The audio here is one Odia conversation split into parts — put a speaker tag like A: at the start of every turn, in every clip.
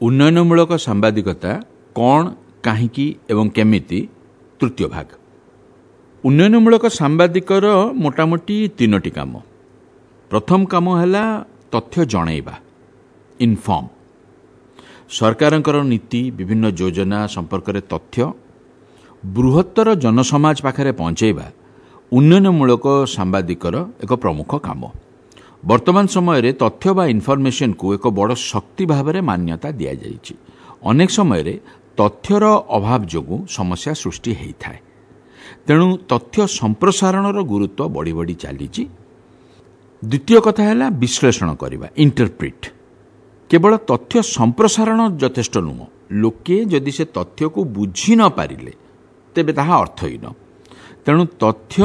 A: ଉନ୍ନୟନମୂଳକ ସାମ୍ବାଦିକତା କ'ଣ, କାହିଁକି ଏବଂ କେମିତି, ତୃତୀୟ ଭାଗ। ଉନ୍ନୟନମୂଳକ ସାମ୍ବାଦିକର ମୋଟାମୋଟି ତିନୋଟି କାମ। ପ୍ରଥମ କାମ ହେଲା ତଥ୍ୟ ଜଣାଇବା, ଇନଫର୍ମ। ସରକାରଙ୍କର ନୀତି, ବିଭିନ୍ନ ଯୋଜନା ସମ୍ପର୍କରେ ତଥ୍ୟ ବୃହତ୍ତର ଜନସମାଜ ପାଖରେ ପହଞ୍ଚାଇବା ଉନ୍ନୟନମୂଳକ ସାମ୍ବାଦିକର ଏକ ପ୍ରମୁଖ କାମ। ବର୍ତ୍ତମାନ ସମୟରେ ତଥ୍ୟ ବା ଇନଫର୍ମେସନକୁ ଏକ ବଡ଼ ଶକ୍ତି ଭାବରେ ମାନ୍ୟତା ଦିଆଯାଇଛି। ଅନେକ ସମୟରେ ତଥ୍ୟର ଅଭାବ ଯୋଗୁଁ ସମସ୍ୟା ସୃଷ୍ଟି ହୋଇଥାଏ। ତେଣୁ ତଥ୍ୟ ସମ୍ପ୍ରସାରଣର ଗୁରୁତ୍ୱ ବଢ଼ି ବଢ଼ି ଚାଲିଛି। ଦ୍ୱିତୀୟ କଥା ହେଲା ବିଶ୍ଳେଷଣ କରିବା, ଇଣ୍ଟରପ୍ରିଟ୍। କେବଳ ତଥ୍ୟ ସମ୍ପ୍ରସାରଣ ଯଥେଷ୍ଟ ନୁହଁ, ଲୋକେ ଯଦି ସେ ତଥ୍ୟକୁ ବୁଝି ନ ପାରିଲେ ତେବେ ତାହା ଅର୍ଥହୀନ। ତେଣୁ ତଥ୍ୟ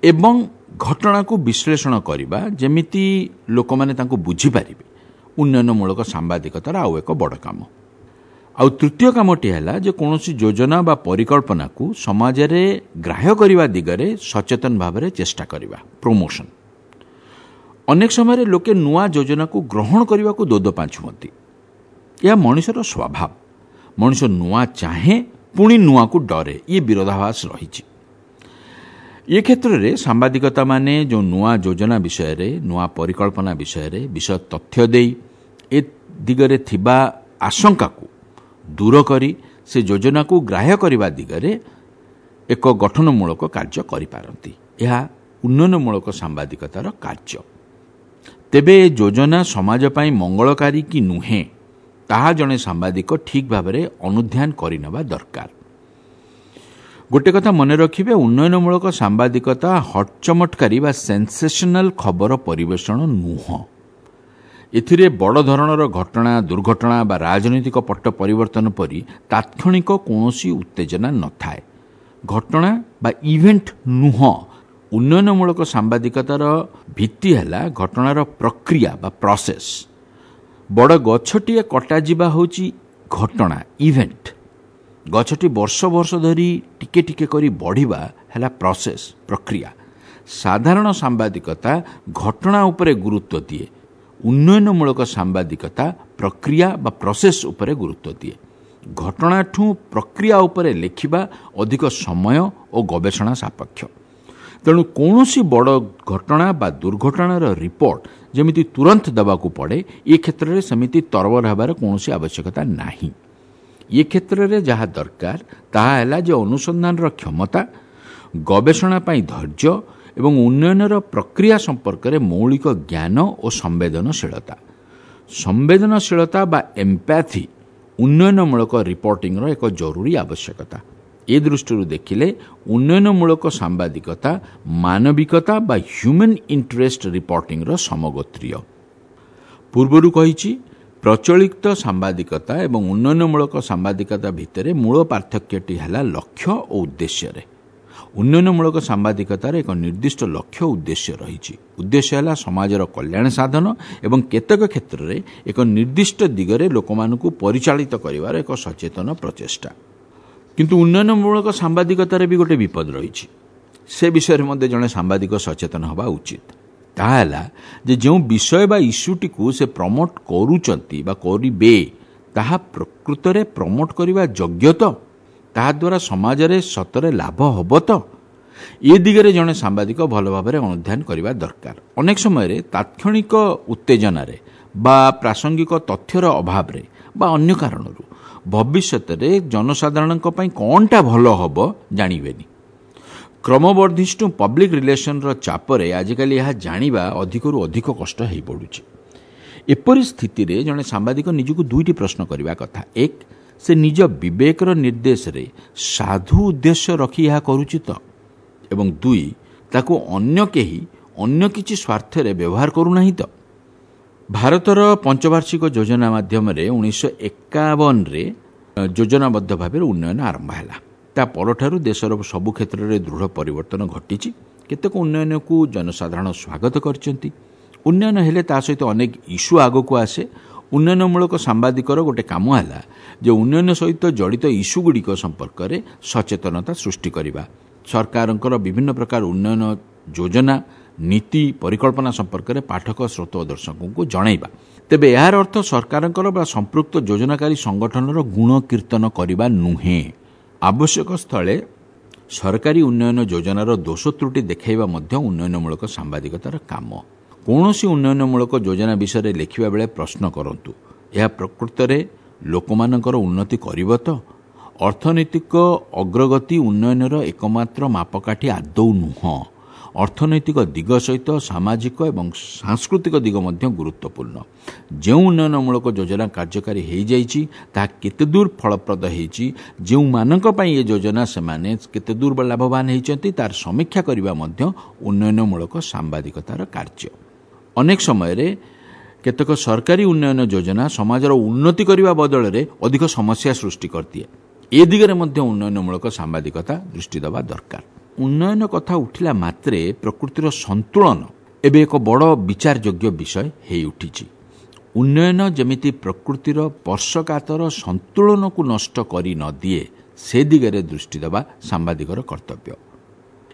A: ଏବଂ ଘଟଣାକୁ ବିଶ୍ଳେଷଣ କରିବା, ଯେମିତି ଲୋକମାନେ ତାଙ୍କୁ ବୁଝିପାରିବେ, ଉନ୍ନୟନମୂଳକ ସାମ୍ବାଦିକତାର ଆଉ ଏକ ବଡ଼ କାମ। ଆଉ ତୃତୀୟ କାମଟି ହେଲା ଯେ କୌଣସି ଯୋଜନା ବା ପରିକଳ୍ପନାକୁ ସମାଜରେ ଗ୍ରାହ୍ୟ କରିବା ଦିଗରେ ସଚେତନ ଭାବରେ ଚେଷ୍ଟା କରିବା, ପ୍ରମୋସନ୍। ଅନେକ ସମୟରେ ଲୋକେ ନୂଆ ଯୋଜନାକୁ ଗ୍ରହଣ କରିବାକୁ ଦୋଦୋ ପାଞ୍ଚ ହୁଅନ୍ତି। ଏହା ମଣିଷର ସ୍ୱଭାବ। ମଣିଷ ନୂଆ ଚାହେଁ, ପୁଣି ନୂଆକୁ ଡରେ। ଇଏ ବିରୋଧାଭାସ ରହିଛି। ଏ କ୍ଷେତ୍ରରେ ସାମ୍ବାଦିକତାମାନେ ଯେଉଁ ନୂଆ ଯୋଜନା ବିଷୟରେ, ନୂଆ ପରିକଳ୍ପନା ବିଷୟରେ ବିଷୟ ତଥ୍ୟ ଦେଇ ଏ ଦିଗରେ ଥିବା ଆଶଙ୍କାକୁ ଦୂର କରି ସେ ଯୋଜନାକୁ ଗ୍ରାହ୍ୟ କରିବା ଦିଗରେ ଏକ ଗଠନମୂଳକ କାର୍ଯ୍ୟ କରିପାରନ୍ତି। ଏହା ଉନ୍ନୟନମୂଳକ ସାମ୍ବାଦିକତାର କାର୍ଯ୍ୟ। ତେବେ ଏ ଯୋଜନା ସମାଜ ପାଇଁ ମଙ୍ଗଳକାରୀ କି ନୁହେଁ, ତାହା ଜଣେ ସାମ୍ବାଦିକ ଠିକ୍ ଭାବରେ ଅନୁଧ୍ୟାନ କରିନେବା ଦରକାର। ଗୋଟେ କଥା ମନେ ରଖିବେ, ଉନ୍ନୟନମୂଳକ ସାମ୍ବାଦିକତା ହଟଚମଟକାରୀ ବା ସେନ୍ସେସନାଲ ଖବର ପରିବେଷଣ ନୁହଁ। ଏଥିରେ ବଡ଼ ଧରଣର ଘଟଣା, ଦୁର୍ଘଟଣା ବା ରାଜନୈତିକ ପଟ୍ଟ ପରିବର୍ତ୍ତନ ପରି ତାତ୍କ୍ଷଣିକ କୌଣସି ଉତ୍ତେଜନା ନଥାଏ। ଘଟଣା ବା ଇଭେଣ୍ଟ ନୁହଁ। ଉନ୍ନୟନମୂଳକ ସାମ୍ବାଦିକତାର ଭିତ୍ତି ହେଲା ଘଟଣାର ପ୍ରକ୍ରିୟା ବା ପ୍ରୋସେସ୍। ବଡ଼ ଗଛଟିଏ କଟାଯିବା ହେଉଛି ଘଟଣା, ଇଭେଣ୍ଟ। ଗଛଟି ବର୍ଷ ବର୍ଷ ଧରି ଟିକେ ଟିକେ କରି ବଢ଼ିବା ହେଲା ପ୍ରୋସେସ୍, ପ୍ରକ୍ରିୟା। ସାଧାରଣ ସାମ୍ବାଦିକତା ଘଟଣା ଉପରେ ଗୁରୁତ୍ୱ ଦିଏ, ଉନ୍ନୟନମୂଳକ ସାମ୍ବାଦିକତା ପ୍ରକ୍ରିୟା ବା ପ୍ରୋସେସ୍ ଉପରେ ଗୁରୁତ୍ୱ ଦିଏ। ଘଟଣାଠୁ ପ୍ରକ୍ରିୟା ଉପରେ ଲେଖିବା ଅଧିକ ସମୟ ଓ ଗବେଷଣା ସାପେକ୍ଷ। ତେଣୁ କୌଣସି ବଡ଼ ଘଟଣା ବା ଦୁର୍ଘଟଣାର ରିପୋର୍ଟ ଯେମିତି ତୁରନ୍ତ ଦେବାକୁ ପଡ଼େ, ଏ କ୍ଷେତ୍ରରେ ସେମିତି ତରବର ହେବାର କୌଣସି ଆବଶ୍ୟକତା ନାହିଁ। ଏ କ୍ଷେତ୍ରରେ ଯାହା ଦରକାର ତାହା ହେଲା ଯେ ଅନୁସନ୍ଧାନର କ୍ଷମତା, ଗବେଷଣା ପାଇଁ ଧୈର୍ଯ୍ୟ ଏବଂ ଉନ୍ନୟନର ପ୍ରକ୍ରିୟା ସମ୍ପର୍କରେ ମୌଳିକ ଜ୍ଞାନ ଓ ସମ୍ବେଦନଶୀଳତା। ସମ୍ବେଦନଶୀଳତା ବା ଏମ୍ପାଥି ଉନ୍ନୟନମୂଳକ ରିପୋର୍ଟିଂର ଏକ ଜରୁରୀ ଆବଶ୍ୟକତା। ଏ ଦୃଷ୍ଟିରୁ ଦେଖିଲେ ଉନ୍ନୟନମୂଳକ ସାମ୍ବାଦିକତା ମାନବିକତା ବା ହ୍ୟୁମାନ୍ ଇଣ୍ଟରେଷ୍ଟ ରିପୋର୍ଟିଂର ସମଗୋତ୍ରୀୟ। ପୂର୍ବରୁ କହିଛି, ପ୍ରଚଳିତ ସାମ୍ବାଦିକତା ଏବଂ ଉନ୍ନୟନମୂଳକ ସାମ୍ବାଦିକତା ଭିତରେ ମୂଳ ପାର୍ଥକ୍ୟଟି ହେଲା ଲକ୍ଷ୍ୟ ଓ ଉଦ୍ଦେଶ୍ୟରେ। ଉନ୍ନୟନମୂଳକ ସାମ୍ବାଦିକତାର ଏକ ନିର୍ଦ୍ଦିଷ୍ଟ ଲକ୍ଷ୍ୟ ଉଦ୍ଦେଶ୍ୟ ରହିଛି। ଉଦ୍ଦେଶ୍ୟ ହେଲା ସମାଜର କଲ୍ୟାଣ ସାଧନ ଏବଂ କେତେକ କ୍ଷେତ୍ରରେ ଏକ ନିର୍ଦ୍ଦିଷ୍ଟ ଦିଗରେ ଲୋକମାନଙ୍କୁ ପରିଚାଳିତ କରିବାର ଏକ ସଚେତନ ପ୍ରଚେଷ୍ଟା। କିନ୍ତୁ ଉନ୍ନୟନମୂଳକ ସାମ୍ବାଦିକତାରେ ବି ଗୋଟେ ବିପଦ ରହିଛି। ସେ ବିଷୟରେ ମଧ୍ୟ ଜଣେ ସାମ୍ବାଦିକ ସଚେତନ ହେବା ଉଚିତ। ତାହା ହେଲା ଯେ ଯେଉଁ ବିଷୟ ବା ଇସ୍ୟୁଟିକୁ ସେ ପ୍ରମୋଟ କରୁଛନ୍ତି ବା କରିବେ, ତାହା ପ୍ରକୃତରେ ପ୍ରମୋଟ କରିବା ଯୋଗ୍ୟ ତ? ତାହାଦ୍ୱାରା ସମାଜରେ ସତରେ ଲାଭ ହେବ ତ? ଏ ଦିଗରେ ଜଣେ ସାମ୍ବାଦିକ ଭଲ ଭାବରେ ଅନୁଧ୍ୟାନ କରିବା ଦରକାର। ଅନେକ ସମୟରେ ତାତ୍କ୍ଷଣିକ ଉତ୍ତେଜନାରେ ବା ପ୍ରାସଙ୍ଗିକ ତଥ୍ୟର ଅଭାବରେ ବା ଅନ୍ୟ କାରଣରୁ ଭବିଷ୍ୟତରେ ଜନସାଧାରଣଙ୍କ ପାଇଁ କ'ଣଟା ଭଲ ହେବ ଜାଣିବେନି। କ୍ରମବର୍ଦ୍ଧିଷ୍ଣୁ ପବ୍ଲିକ୍ ରିଲେସନର ଚାପରେ ଆଜିକାଲି ଏହା ଜାଣିବା ଅଧିକରୁ ଅଧିକ କଷ୍ଟ ହୋଇପଡ଼ୁଛି। ଏପରି ସ୍ଥିତିରେ ଜଣେ ସାମ୍ବାଦିକ ନିଜକୁ ଦୁଇଟି ପ୍ରଶ୍ନ କରିବା କଥା। ଏକ, ସେ ନିଜ ବିବେକର ନିର୍ଦ୍ଦେଶରେ ସାଧୁ ଉଦ୍ଦେଶ୍ୟ ରଖି ଏହା କରୁଛି ତ? ଏବଂ ଦୁଇ, ତାକୁ ଅନ୍ୟ କେହି ଅନ୍ୟ କିଛି ସ୍ୱାର୍ଥରେ ବ୍ୟବହାର କରୁନାହିଁ ତ? ଭାରତର ପଞ୍ଚବାର୍ଷିକ ଯୋଜନା ମାଧ୍ୟମରେ 1951ରେ ଯୋଜନାବଦ୍ଧ ଭାବରେ ଉନ୍ନୟନ ଆରମ୍ଭ ହେଲା। ତା ପରଠାରୁ ଦେଶର ସବୁ କ୍ଷେତ୍ରରେ ଦୃଢ଼ ପରିବର୍ତ୍ତନ ଘଟିଛି। କେତେକ ଉନ୍ନୟନକୁ ଜନସାଧାରଣ ସ୍ୱାଗତ କରିଛନ୍ତି। ଉନ୍ନୟନ ହେଲେ ତା ସହିତ ଅନେକ ଇସ୍ୟୁ ଆଗକୁ ଆସେ। ଉନ୍ନୟନମୂଳକ ସାମ୍ବାଦିକର ଗୋଟେ କାମ ହେଲା ଯେ ଉନ୍ନୟନ ସହିତ ଜଡ଼ିତ ଇସ୍ୟୁଗୁଡ଼ିକ ସମ୍ପର୍କରେ ସଚେତନତା ସୃଷ୍ଟି କରିବା, ସରକାରଙ୍କର ବିଭିନ୍ନ ପ୍ରକାର ଉନ୍ନୟନ ଯୋଜନା, ନୀତି, ପରିକଳ୍ପନା ସମ୍ପର୍କରେ ପାଠକ, ଶ୍ରୋତା ଓ ଦର୍ଶକଙ୍କୁ ଜଣାଇବା। ତେବେ ଏହାର ଅର୍ଥ ସରକାରଙ୍କର ବା ସମ୍ପୃକ୍ତ ଯୋଜନାକାରୀ ସଂଗଠନର ଗୁଣ କୀର୍ତ୍ତନ କରିବା ନୁହେଁ। ଆବଶ୍ୟକ ସ୍ଥଳେ ସରକାରୀ ଉନ୍ନୟନ ଯୋଜନାର ଦୋଷ ତ୍ରୁଟି ଦେଖାଇବା ମଧ୍ୟ ଉନ୍ନୟନମୂଳକ ସାମ୍ବାଦିକତାର କାମ। କୌଣସି ଉନ୍ନୟନମୂଳକ ଯୋଜନା ବିଷୟରେ ଲେଖିବା ବେଳେ ପ୍ରଶ୍ନ କରନ୍ତୁ, ଏହା ପ୍ରକୃତରେ ଲୋକମାନଙ୍କର ଉନ୍ନତି କରିବ ତ? ଅର୍ଥନୈତିକ ଅଗ୍ରଗତି ଉନ୍ନୟନର ଏକମାତ୍ର ମାପକାଠି ଆଦୌ ନୁହଁ। ଅର୍ଥନୈତିକ ଦିଗ ସହିତ ସାମାଜିକ ଏବଂ ସାଂସ୍କୃତିକ ଦିଗ ମଧ୍ୟ ଗୁରୁତ୍ୱପୂର୍ଣ୍ଣ। ଯେଉଁ ଉନ୍ନୟନମୂଳକ ଯୋଜନା କାର୍ଯ୍ୟକାରୀ ହୋଇଯାଇଛି ତାହା କେତେଦୂର ଫଳପ୍ରଦ ହୋଇଛି, ଯେଉଁମାନଙ୍କ ପାଇଁ ଏ ଯୋଜନା ସେମାନେ କେତେଦୂର ଲାଭବାନ ହୋଇଛନ୍ତି, ତାର ସମୀକ୍ଷା କରିବା ମଧ୍ୟ ଉନ୍ନୟନମୂଳକ ସାମ୍ବାଦିକତାର କାର୍ଯ୍ୟ। ଅନେକ ସମୟରେ କେତେକ ସରକାରୀ ଉନ୍ନୟନ ଯୋଜନା ସମାଜର ଉନ୍ନତି କରିବା ବଦଳରେ ଅଧିକ ସମସ୍ୟା ସୃଷ୍ଟି କରିଦିଏ। ଏ ଦିଗରେ ମଧ୍ୟ ଉନ୍ନୟନମୂଳକ ସାମ୍ବାଦିକତା ଦୃଷ୍ଟି ଦେବା ଦରକାର। ଉନ୍ନୟନ କଥା ଉଠିଲା ମାତ୍ରେ ପ୍ରକୃତିର ସନ୍ତୁଳନ ଏବେ ଏକ ବଡ଼ ବିଚାରଯୋଗ୍ୟ ବିଷୟ ହୋଇଉଠିଛି। ଉନ୍ନୟନ ଯେମିତି ପ୍ରକୃତିର ସ୍ପର୍ଶକାତର ସନ୍ତୁଳନକୁ ନଷ୍ଟ କରି ନଦିଏ, ସେ ଦିଗରେ ଦୃଷ୍ଟି ଦେବା ସାମ୍ବାଦିକର କର୍ତ୍ତବ୍ୟ।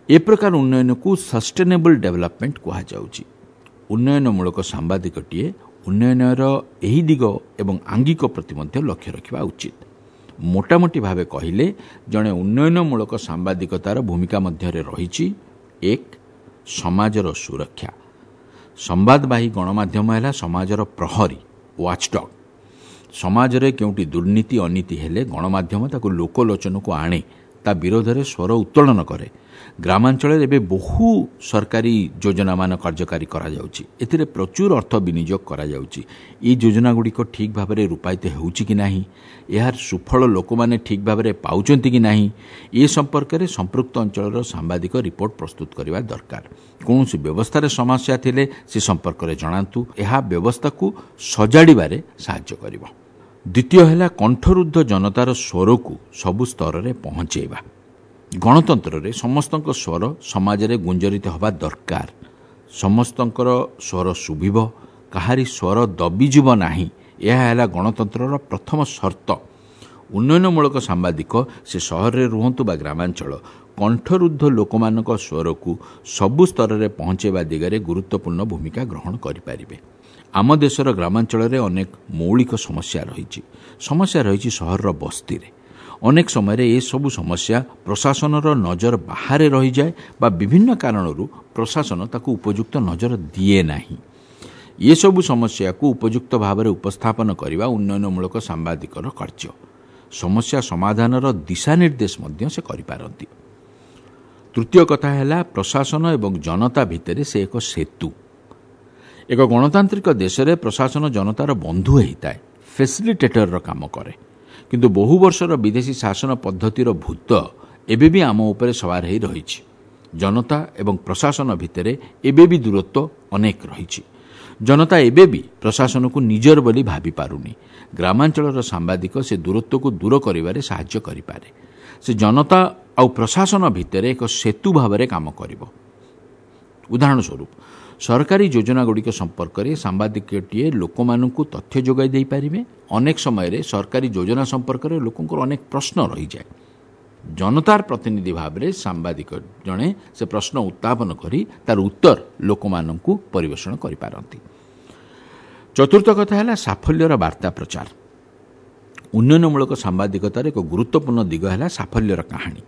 A: ଏ ପ୍ରକାର ଉନ୍ନୟନକୁ ସଷ୍ଟେନେବଲ୍ ଡେଭଲପମେଣ୍ଟ କୁହାଯାଉଛି। ଉନ୍ନୟନମୂଳକ ସାମ୍ବାଦିକଟିଏ ଉନ୍ନୟନର ଏହି ଦିଗ ଏବଂ ଆଙ୍ଗିକ ପ୍ରତି ମଧ୍ୟ ଲକ୍ଷ୍ୟ ରଖିବା ଉଚିତ। ମୋଟାମୋଟି ଭାବେ କହିଲେ ଜଣେ ଉନ୍ନୟନମୂଳକ ସାମ୍ବାଦିକତାର ଭୂମିକା ମଧ୍ୟରେ ରହିଛି: 1. ସମାଜର ସୁରକ୍ଷା। ସମ୍ବାଦବାହୀ ଗଣମାଧ୍ୟମ ହେଲା ସମାଜର ପ୍ରହରୀ, ୱାଚଡଗ୍। ସମାଜରେ କେଉଁଠି ଦୁର୍ନୀତି ଅନୀତି ହେଲେ ଗଣମାଧ୍ୟମ ତାକୁ ଲୋକଲୋଚନକୁ ଆଣେ, ତା ବିରୋଧରେ ସ୍ୱର ଉତ୍ତୋଳନ କରେ। ଗ୍ରାମାଞ୍ଚଳରେ ଏବେ ବହୁ ସରକାରୀ ଯୋଜନାମାନ କାର୍ଯ୍ୟକାରୀ କରାଯାଉଛି। ଏଥିରେ ପ୍ରଚୁର ଅର୍ଥ ବିନିଯୋଗ କରାଯାଉଛି। ଏହି ଯୋଜନାଗୁଡ଼ିକ ଠିକ୍ ଭାବରେ ରୂପାୟିତ ହେଉଛି କି ନାହିଁ, ଏହାର ସୁଫଳ ଲୋକମାନେ ଠିକ୍ ଭାବରେ ପାଉଛନ୍ତି କି ନାହିଁ, ଏ ସମ୍ପର୍କରେ ସମ୍ପୃକ୍ତ ଅଞ୍ଚଳର ସାମ୍ବାଦିକ ରିପୋର୍ଟ ପ୍ରସ୍ତୁତ କରିବା ଦରକାର। କୌଣସି ବ୍ୟବସ୍ଥାରେ ସମସ୍ୟା ଥିଲେ ସେ ସମ୍ପର୍କରେ ଜଣାନ୍ତୁ। ଏହା ବ୍ୟବସ୍ଥାକୁ ସଜାଡ଼ିବାରେ ସାହାଯ୍ୟ କରିବ। ଦ୍ୱିତୀୟ ହେଲା କଣ୍ଠରୁଦ୍ଧ ଜନତାର ସ୍ୱରକୁ ସବୁ ସ୍ତରରେ ପହଞ୍ଚାଇବା। ଗଣତନ୍ତ୍ରରେ ସମସ୍ତଙ୍କ ସ୍ୱର ସମାଜରେ ଗୁଞ୍ଜରିତ ହେବା ଦରକାର। ସମସ୍ତଙ୍କର ସ୍ୱର ଶୁଭିବ, କାହାରି ସ୍ୱର ଦବିଯିବ ନାହିଁ। ଏହା ହେଲା ଗଣତନ୍ତ୍ରର ପ୍ରଥମ ସର୍ତ୍ତ। ଉନ୍ନୟନମୂଳକ ସାମ୍ବାଦିକ ସେ ସହରରେ ରୁହନ୍ତୁ ବା ଗ୍ରାମାଞ୍ଚଳ, କଣ୍ଠରୁଦ୍ଧ ଲୋକମାନଙ୍କ ସ୍ୱରକୁ ସବୁ ସ୍ତରରେ ପହଞ୍ଚାଇବା ଦିଗରେ ଗୁରୁତ୍ୱପୂର୍ଣ୍ଣ ଭୂମିକା ଗ୍ରହଣ କରିପାରିବେ। ଆମ ଦେଶର ଗ୍ରାମାଞ୍ଚଳରେ ଅନେକ ମୌଳିକ ସମସ୍ୟା ରହିଛି। ସମସ୍ୟା ରହିଛି ସହରର ବସ୍ତିରେ। ଅନେକ ସମୟରେ ଏସବୁ ସମସ୍ୟା ପ୍ରଶାସନର ନଜର ବାହାରେ ରହିଯାଏ ବା ବିଭିନ୍ନ କାରଣରୁ ପ୍ରଶାସନ ତାକୁ ଉପଯୁକ୍ତ ନଜର ଦିଏ ନାହିଁ। ଏସବୁ ସମସ୍ୟାକୁ ଉପଯୁକ୍ତ ଭାବରେ ଉପସ୍ଥାପନ କରିବା ଉନ୍ନୟନମୂଳକ ସାମ୍ବାଦିକର କାର୍ଯ୍ୟ। ସମସ୍ୟା ସମାଧାନର ଦିଶାନିର୍ଦ୍ଦେଶ ମଧ୍ୟ ସେ କରିପାରନ୍ତି। ତୃତୀୟ କଥା ହେଲା ପ୍ରଶାସନ ଏବଂ ଜନତା ଭିତରେ ସେ ଏକ ସେତୁ। ଏକ ଗଣତାନ୍ତ୍ରିକ ଦେଶରେ ପ୍ରଶାସନ ଜନତାର ବନ୍ଧୁ ହୋଇଥାଏ, ଫେସିଲିଟେଟରର କାମ କରେ। କିନ୍ତୁ ବହୁ ବର୍ଷର ବିଦେଶୀ ଶାସନ ପଦ୍ଧତିର ଭୂତ ଏବେ ବି ଆମ ଉପରେ ସବାର ହୋଇ ରହିଛି। ଜନତା ଏବଂ ପ୍ରଶାସନ ଭିତରେ ଏବେ ବି ଦୂରତ୍ୱ ଅନେକ ରହିଛି। ଜନତା ଏବେ ବି ପ୍ରଶାସନକୁ ନିଜର ବୋଲି ଭାବିପାରୁନି। ଗ୍ରାମାଞ୍ଚଳର ସାମ୍ବାଦିକ ସେ ଦୂରତ୍ୱକୁ ଦୂର କରିବାରେ ସାହାଯ୍ୟ କରିପାରେ। ସେ ଜନତା ଆଉ ପ୍ରଶାସନ ଭିତରେ ଏକ ସେତୁ ଭାବରେ କାମ କରିବ। ଉଦାହରଣ ସ୍ୱରୂପ, ସରକାରୀ ଯୋଜନାଗୁଡ଼ିକ ସମ୍ପର୍କରେ ସାମ୍ବାଦିକଟିଏ ଲୋକମାନଙ୍କୁ ତଥ୍ୟ ଯୋଗାଇ ଦେଇପାରିବେ। ଅନେକ ସମୟରେ ସରକାରୀ ଯୋଜନା ସମ୍ପର୍କରେ ଲୋକଙ୍କର ଅନେକ ପ୍ରଶ୍ନ ରହିଯାଏ। ଜନତାର ପ୍ରତିନିଧି ଭାବରେ ସାମ୍ବାଦିକ ଜଣେ ସେ ପ୍ରଶ୍ନ ଉତ୍ଥାପନ କରି ତାର ଉତ୍ତର ଲୋକମାନଙ୍କୁ ପରିବେଷଣ କରିପାରନ୍ତି। ଚତୁର୍ଥ କଥା ହେଲା ସାଫଲ୍ୟର ବାର୍ତ୍ତା ପ୍ରଚାର। ଉନ୍ନୟନମୂଳକ ସାମ୍ବାଦିକତାର ଏକ ଗୁରୁତ୍ୱପୂର୍ଣ୍ଣ ଦିଗ ହେଲା ସାଫଲ୍ୟର କାହାଣୀ।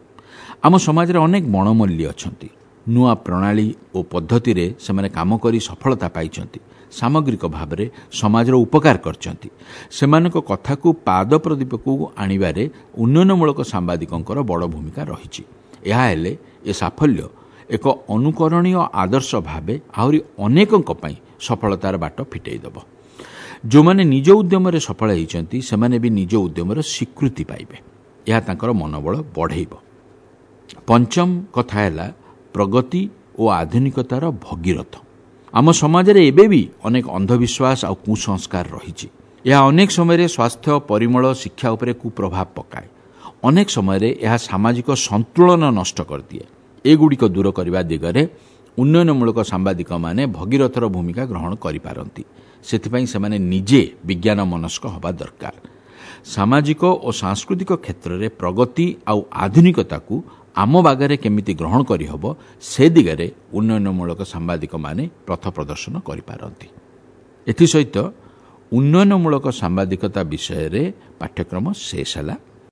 A: ଆମ ସମାଜରେ ଅନେକ ବଣମଲ୍ଲୀ ଅଛନ୍ତି। ନୂଆ ପ୍ରଣାଳୀ ଓ ପଦ୍ଧତିରେ ସେମାନେ କାମ କରି ସଫଳତା ପାଇଛନ୍ତି। ସାମଗ୍ରିକ ଭାବରେ ସମାଜର ଉପକାର କରିଛନ୍ତି। ସେମାନଙ୍କ କଥାକୁ ପାଦ ପ୍ରଦୀପକୁ ଆଣିବାରେ ଉନ୍ନୟନମୂଳକ ସାମ୍ବାଦିକଙ୍କର ବଡ଼ ଭୂମିକା ରହିଛି। ଏହା ହେଲେ ଏ ସାଫଲ୍ୟ ଏକ ଅନୁକରଣୀୟ ଆଦର୍ଶ ଭାବେ ଆହୁରି ଅନେକଙ୍କ ପାଇଁ ସଫଳତାର ବାଟ ଫିଟେଇ ଦେବ। ଯେଉଁମାନେ ନିଜ ଉଦ୍ୟମରେ ସଫଳ ହୋଇଛନ୍ତି, ସେମାନେ ବି ନିଜ ଉଦ୍ୟମର ସ୍ୱୀକୃତି ପାଇବେ। ଏହା ତାଙ୍କର ମନୋବଳ ବଢ଼େଇବ। ପଞ୍ଚମ କଥା ହେଲା ପ୍ରଗତି ଓ ଆଧୁନିକତାର ଭଗୀରଥ। ଆମ ସମାଜରେ ଏବେ ବି ଅନେକ ଅନ୍ଧବିଶ୍ୱାସ ଆଉ କୁସଂସ୍କାର ରହିଛି। ଏହା ଅନେକ ସମୟରେ ସ୍ୱାସ୍ଥ୍ୟ, ପରିମଳ, ଶିକ୍ଷା ଉପରେ କୁପ୍ରଭାବ ପକାଏ। ଅନେକ ସମୟରେ ଏହା ସାମାଜିକ ସନ୍ତୁଳନ ନଷ୍ଟ କରିଦିଏ। ଏଗୁଡ଼ିକ ଦୂର କରିବା ଦିଗରେ ଉନ୍ନୟନମୂଳକ ସାମ୍ବାଦିକମାନେ ଭଗୀରଥର ଭୂମିକା ଗ୍ରହଣ କରିପାରନ୍ତି। ସେଥିପାଇଁ ସେମାନେ ନିଜେ ବିଜ୍ଞାନ ମନସ୍କ ହେବା ଦରକାର। ସାମାଜିକ ଓ ସାଂସ୍କୃତିକ କ୍ଷେତ୍ରରେ ପ୍ରଗତି ଆଉ ଆଧୁନିକତାକୁ ଆମ ବାଗରେ କେମିତି ଗ୍ରହଣ କରିହେବ, ସେ ଦିଗରେ ଉନ୍ନୟନମୂଳକ ସାମ୍ବାଦିକମାନେ ପଥ ପ୍ରଦର୍ଶନ କରିପାରନ୍ତି। ଏଥିସହିତ ଉନ୍ନୟନମୂଳକ ସାମ୍ବାଦିକତା ବିଷୟରେ ପାଠ୍ୟକ୍ରମ ଶେଷ ହେଲା।